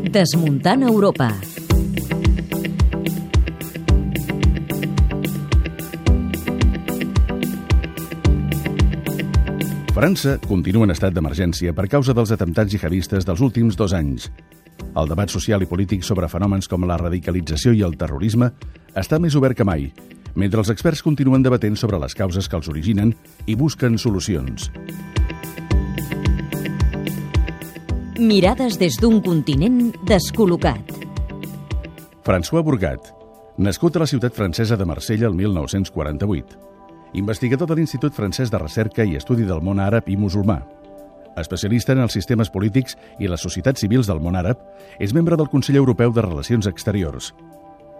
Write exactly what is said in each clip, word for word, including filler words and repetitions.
Desmuntant Europa. França continua en estat d'emergència per causa dels atemptats jihadistes dels últims dos anys. El debat social i polític sobre fenòmens com la radicalització i el terrorisme està més obert que mai, mentre els experts continuen debatent sobre les causes que els originen i busquen solucions. Mirades des d'un continent descol·locat. François Bourgat, nascut a la ciutat francesa de Marsella el mil nou-cents quaranta-vuit. Investigador de l'Institut Francès de Recerca i Estudi del Món Àrab i Musulmà. Especialista en els sistemes polítics i les societats civils del món àrab, és membre del Consell Europeu de Relacions Exteriors.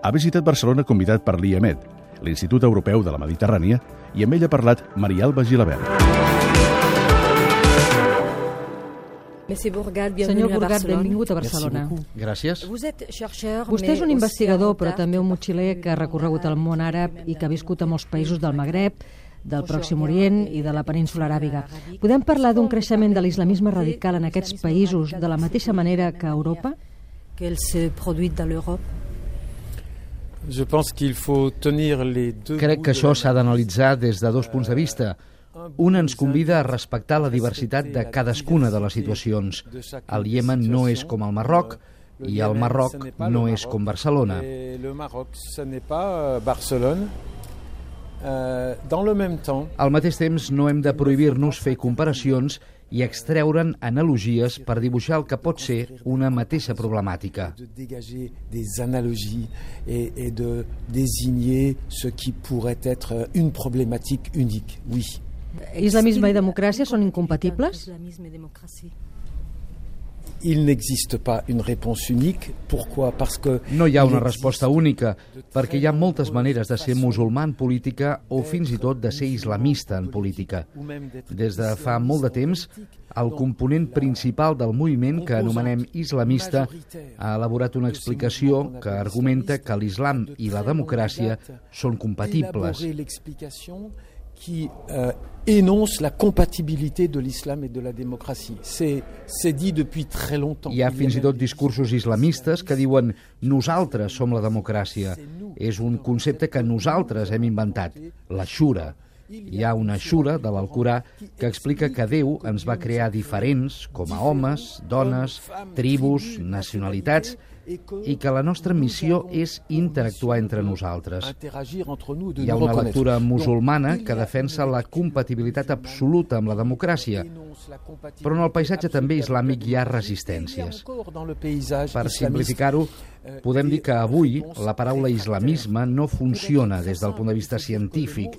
Ha visitat Barcelona convidat per l'I E M E D, l'Institut Europeu de la Mediterrània, i amb ell ha parlat Maria Alba Gilabert. Senyor Bourgat, benvingut a Barcelona. Gràcies. Vostè és un investigador, però també un motxiler que ha recorregut el món àrab i que ha viscut a molts països del Magreb, del Pròxim Orient i de la península aràbiga. Podem parlar d'un creixement de l'islamisme radical en aquests països de la mateixa manera que a Europa? Crec que això s'ha d'analitzar des de dos punts de vista. Un ens convida a respectar la diversitat de cadascuna de les situacions. El Iemen no és com el Marroc i el Marroc no és com Barcelona. Al mateix temps, no hem de prohibir-nos fer comparacions i extreure'n analogies per dibuixar el que pot ser una mateixa problemàtica. Des analogies et de désigner ce qui pourrait être une problématique unique, oui. Islamisme i democràcia són incompatibles? Il n'existe pas une réponse unique. Pourquoi? Parce que no hi ha una resposta única, perquè hi ha moltes maneres de ser musulmà en política o fins i tot de ser islamista en política. Des de fa molt de temps, el component principal del moviment que anomenem islamista ha elaborat una explicació que argumenta que l'islam i la democràcia són compatibles. qui euh, énonce la compatibilité de l'islam et de la démocratie. C'est, c'est dit depuis très longtemps. Hi ha fins i tot discursos islamistes que diuen nosaltres som la democràcia. És un concepte que nosaltres hem inventat, la shura. Hi ha una shura de l'Alcorà que explica que Déu ens va crear diferents com a homes, dones, tribus, nacionalitats, i que la nostra missió és interactuar entre nosaltres. Hi ha una lectura musulmana que defensa la compatibilitat absoluta amb la democràcia, però en el paisatge també islàmic hi ha resistències. Per simplificar-ho, podem dir que avui la paraula islamisme no funciona des del punt de vista científic,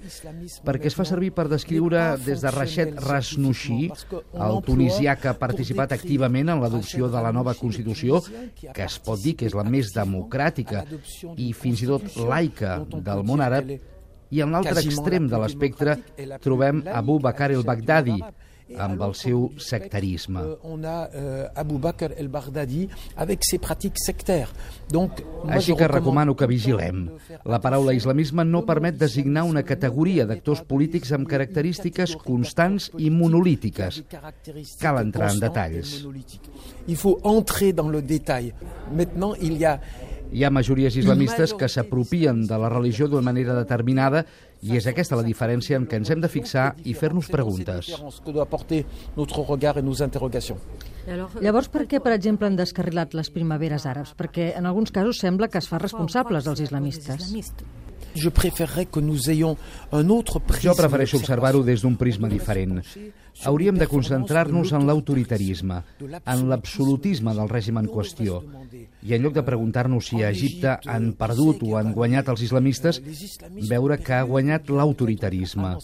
perquè es fa servir per descriure des de Rached Rasnouchi, el tunisià que ha participat activament en l'adopció de la nova Constitució, que es pot dir que és la més democràtica i fins i tot laica del món àrab, i en l'altre extrem de l'espectre trobem Abu Bakr el-Baghdadi, amb el seu sectarisme. On a Abu Bakr el-Baghdadi avec ses pratiques sectaires. Donc, Així que recomano que vigilem. La paraula islamisme no permet designar una categoria d'actors polítics amb característiques constants i monolítiques. Cal entrar en detalls. Il faut entrer dans le détail. Maintenant, il y a Hi ha majories islamistes que s'apropien de la religió d'una manera determinada i és aquesta la diferència en què ens hem de fixar i fer-nos preguntes. Llavors, per què, per exemple, han descarrilat les primaveres àrabs? Perquè en alguns casos sembla que es fa responsables els islamistes. Jo prefereixo observar-ho des d'un prisma diferent. Hauríem de concentrar-nos en l'autoritarisme, en l'absolutisme del règim en qüestió. I en lloc de preguntar-nos si a Egipte han perdut o han guanyat els islamistes, veure que ha guanyat l'autoritarisme.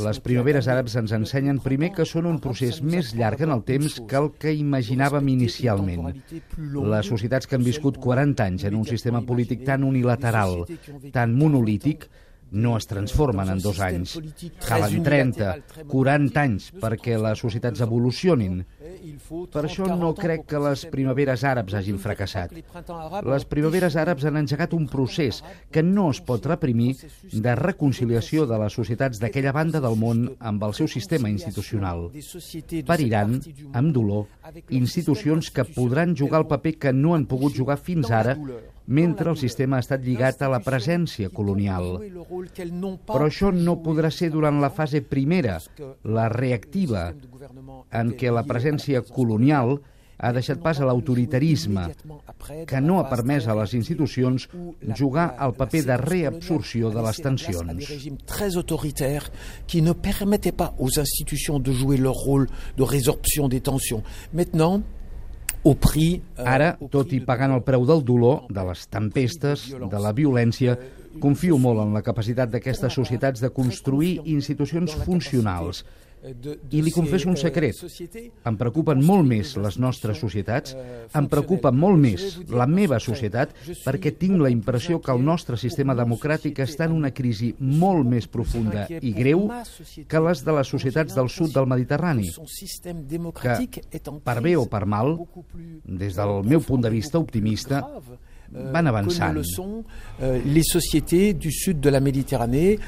Les primaveres àrabs ens ensenyen primer que són un procés més llarg en el temps que el que imaginàvem inicialment. Les societats que han viscut quaranta anys en un sistema polític tan unilateral, tan monolític, no es transformen en dos anys. Calen trenta, quaranta anys perquè les societats evolucionin. Per això no crec que les primaveres àrabs hagin fracassat. Les primaveres àrabs han engegat un procés que no es pot reprimir de reconciliació de les societats d'aquella banda del món amb el seu sistema institucional. Pariran, amb dolor, institucions que podran jugar el paper que no han pogut jugar fins ara mentre el sistema ha estat lligat a la presència colonial. Però això no podrà ser durant la fase primera, la reactiva, en què la presència colonial ha deixat pas a l'autoritarisme, que no ha permès a les institucions jugar el paper de reabsorció de les tensions. Des régimes très autoritaires qui ne permettaient pas aux institutions de jouer leur rôle de résorption des tensions. Maintenant, Ara, tot i pagant el preu del dolor, de les tempestes, de la violència, confio molt en la capacitat d'aquestes societats de construir institucions funcionals. I li confesso un secret. Em preocupen molt més les nostres societats, em preocupa molt més la meva societat, perquè tinc la impressió que el nostre sistema democràtic està en una crisi molt més profunda i greu que les de les societats del sud del Mediterrani, que, per bé o per mal, des del meu punt de vista optimista, van avançant. Les sociétés du sud de la Méditerranée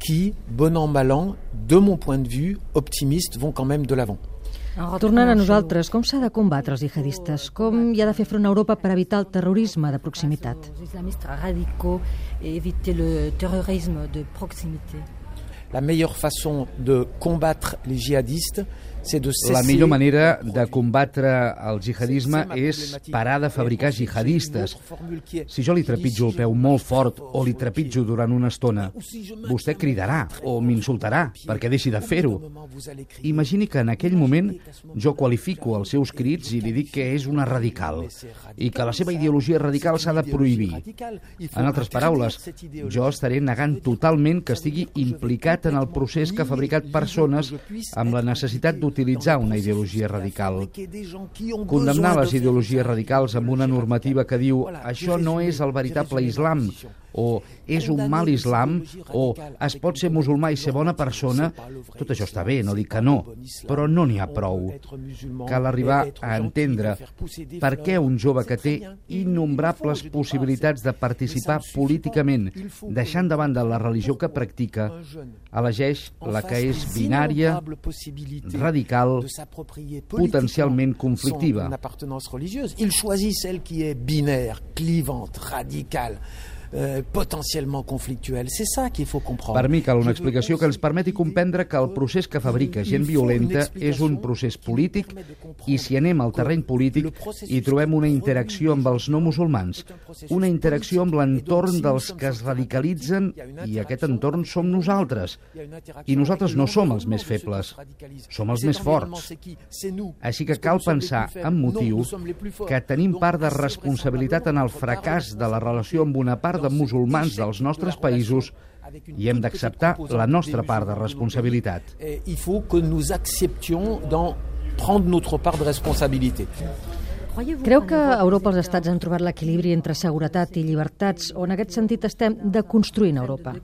qui, bon an, mal an, de mon point de vue, optimiste, vont quand même de l'avant. Tornant a nosaltres, com s'ha de combatre els jihadistes? Com hi ha de fer front a Europa per evitar el terrorisme de proximitat? La meilleure façon de combattre les djihadistes, la millor manera de combatre el jihadisme és parar de fabricar jihadistes. Si jo li trepitjo el peu molt fort o li trepitjo durant una estona, vostè cridarà o m'insultarà perquè deixi de fer-ho. Imagini que en aquell moment jo qualifico els seus crits i li dic que és una radical i que la seva ideologia radical s'ha de prohibir. En altres paraules, jo estaré negant totalment que estigui implicat en el procés que ha fabricat persones amb la necessitat d'utilitzar utilitzar una ideologia radical. Condemnar les ideologies radicals amb una normativa que diu això no és el veritable islam, o és un mal islam, o es pot ser musulmà i ser bona persona, tot això està bé, no dic que no, però no n'hi ha prou. Cal arribar a entendre per què un jove que té innombrables possibilitats de participar políticament, deixant de banda la religió que practica, elegeix la que és binària, radical, potencialment conflictiva. Il choisit celle qui est binaire, clivante, radicale, Euh, potencialment conflictuel. C'est ça qu'il faut comprendre. Per mi cal una explicació que ens permeti comprendre que el procés que fabrica gent violenta és un procés polític i si anem al terreny polític hi trobem una interacció amb els no musulmans, una interacció amb l'entorn dels que es radicalitzen i aquest entorn som nosaltres. I nosaltres no som els més febles, som els més forts. Així que cal pensar amb motiu que tenim part de responsabilitat en el fracàs de la relació amb una part de musulmans dels nostres països i hem d'acceptar la nostra part de responsabilitat. Il faut que nous acceptions d'en prendre notre part de responsabilité. Creu que a Europa els estats han trobat l'equilibri entre seguretat i llibertats o en aquest sentit estem deconstruint Europa?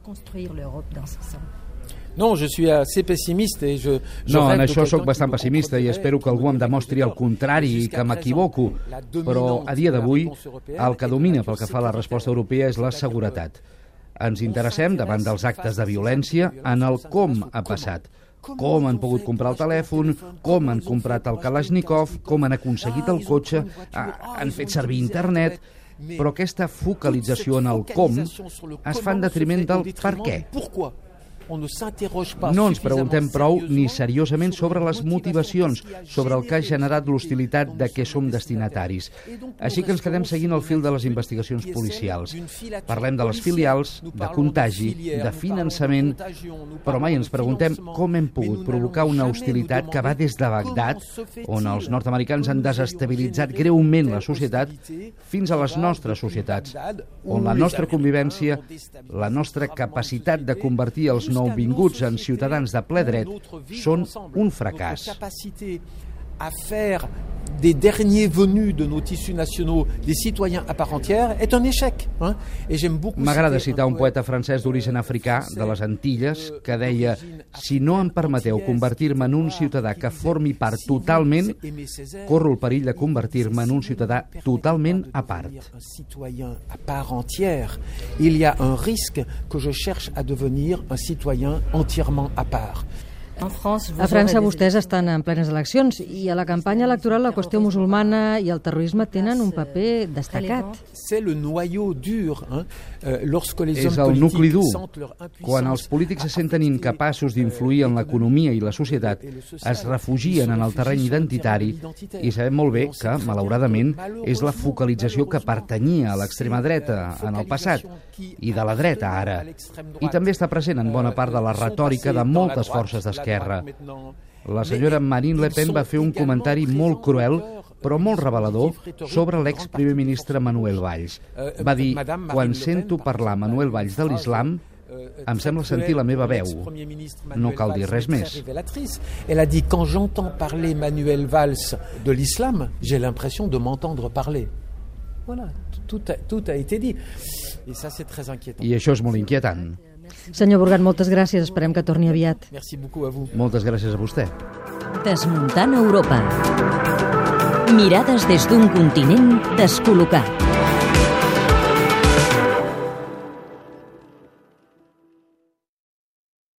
No, je suis assez pessimiste et je, je no, en això sóc bastant pessimista i espero que algú em demostri el contrari i que m'equivoco, però a dia d'avui el que domina pel que fa a la resposta europea és la seguretat. Ens interessem davant dels actes de violència en el com ha passat, com han pogut comprar el telèfon, com han comprat el Kalashnikov, com han aconseguit el cotxe, han fet servir internet, però aquesta focalització en el com es fa en detriment del per què. No ens preguntem prou ni seriosament sobre les motivacions, sobre el que ha generat l'hostilitat de què som destinataris. Així que ens quedem seguint el fil de les investigacions policials. Parlem de les filials, de contagi, de finançament, però mai ens preguntem com hem pogut provocar una hostilitat que va des de Bagdad, on els nord-americans han desestabilitzat greument la societat, fins a les nostres societats, on la nostra convivència, la nostra capacitat de convertir els nouvinguts en ciutadans de ple dret són un fracàs. À faire des derniers venus de nos tissus nationaux, des citoyens à part entière, est un échec. Hein? Et j'aime beaucoup M'agrada citar un poeta francès d'origen africà de les Antilles que deia: si no em permeteu convertir-me en un ciutadà que formi part totalment, corro el perill de convertir-me en un ciutadà totalment a part. Un citoyen à part entière, il y a un risque que je cherche à devenir un citoyen entièrement à part. A França vostès estan en plenes eleccions i a la campanya electoral la qüestió musulmana i el terrorisme tenen un paper destacat. C'est le noyau dur, hein, lorsque les És hommes el nucli dur. politiques sentent leur impuissance. Quan els polítics se senten incapaços d'influir en l'economia i la societat, es refugien en el terreny identitari i sabem molt bé que, malauradament, és la focalització que pertanyia a l'extrema dreta en el passat i de la dreta ara. I també està present en bona part de la retòrica de moltes forces d'esquerra. La senyora Marine Le Pen va fer un comentari molt cruel, però molt revelador, sobre l'ex-primer ministre Manuel Valls. Va dir: quan sento parlar Manuel Valls de l'islam, em sembla sentir la meva veu. No cal dir res més. Elle a dit: quand j'entends parler Manuel Valls de l'islam, j'ai l'impression de m'entendre parler. Voilà, tout a, tout a été dit. Et ça, c'est très inquiétant. I això és molt inquietant. Senyor Burgat, moltes gràcies. Esperem que torni aviat. Merci beaucoup à vous. Moltes gràcies a vostè. Desmuntant Europa. Mirades des d'un continent descol·locat.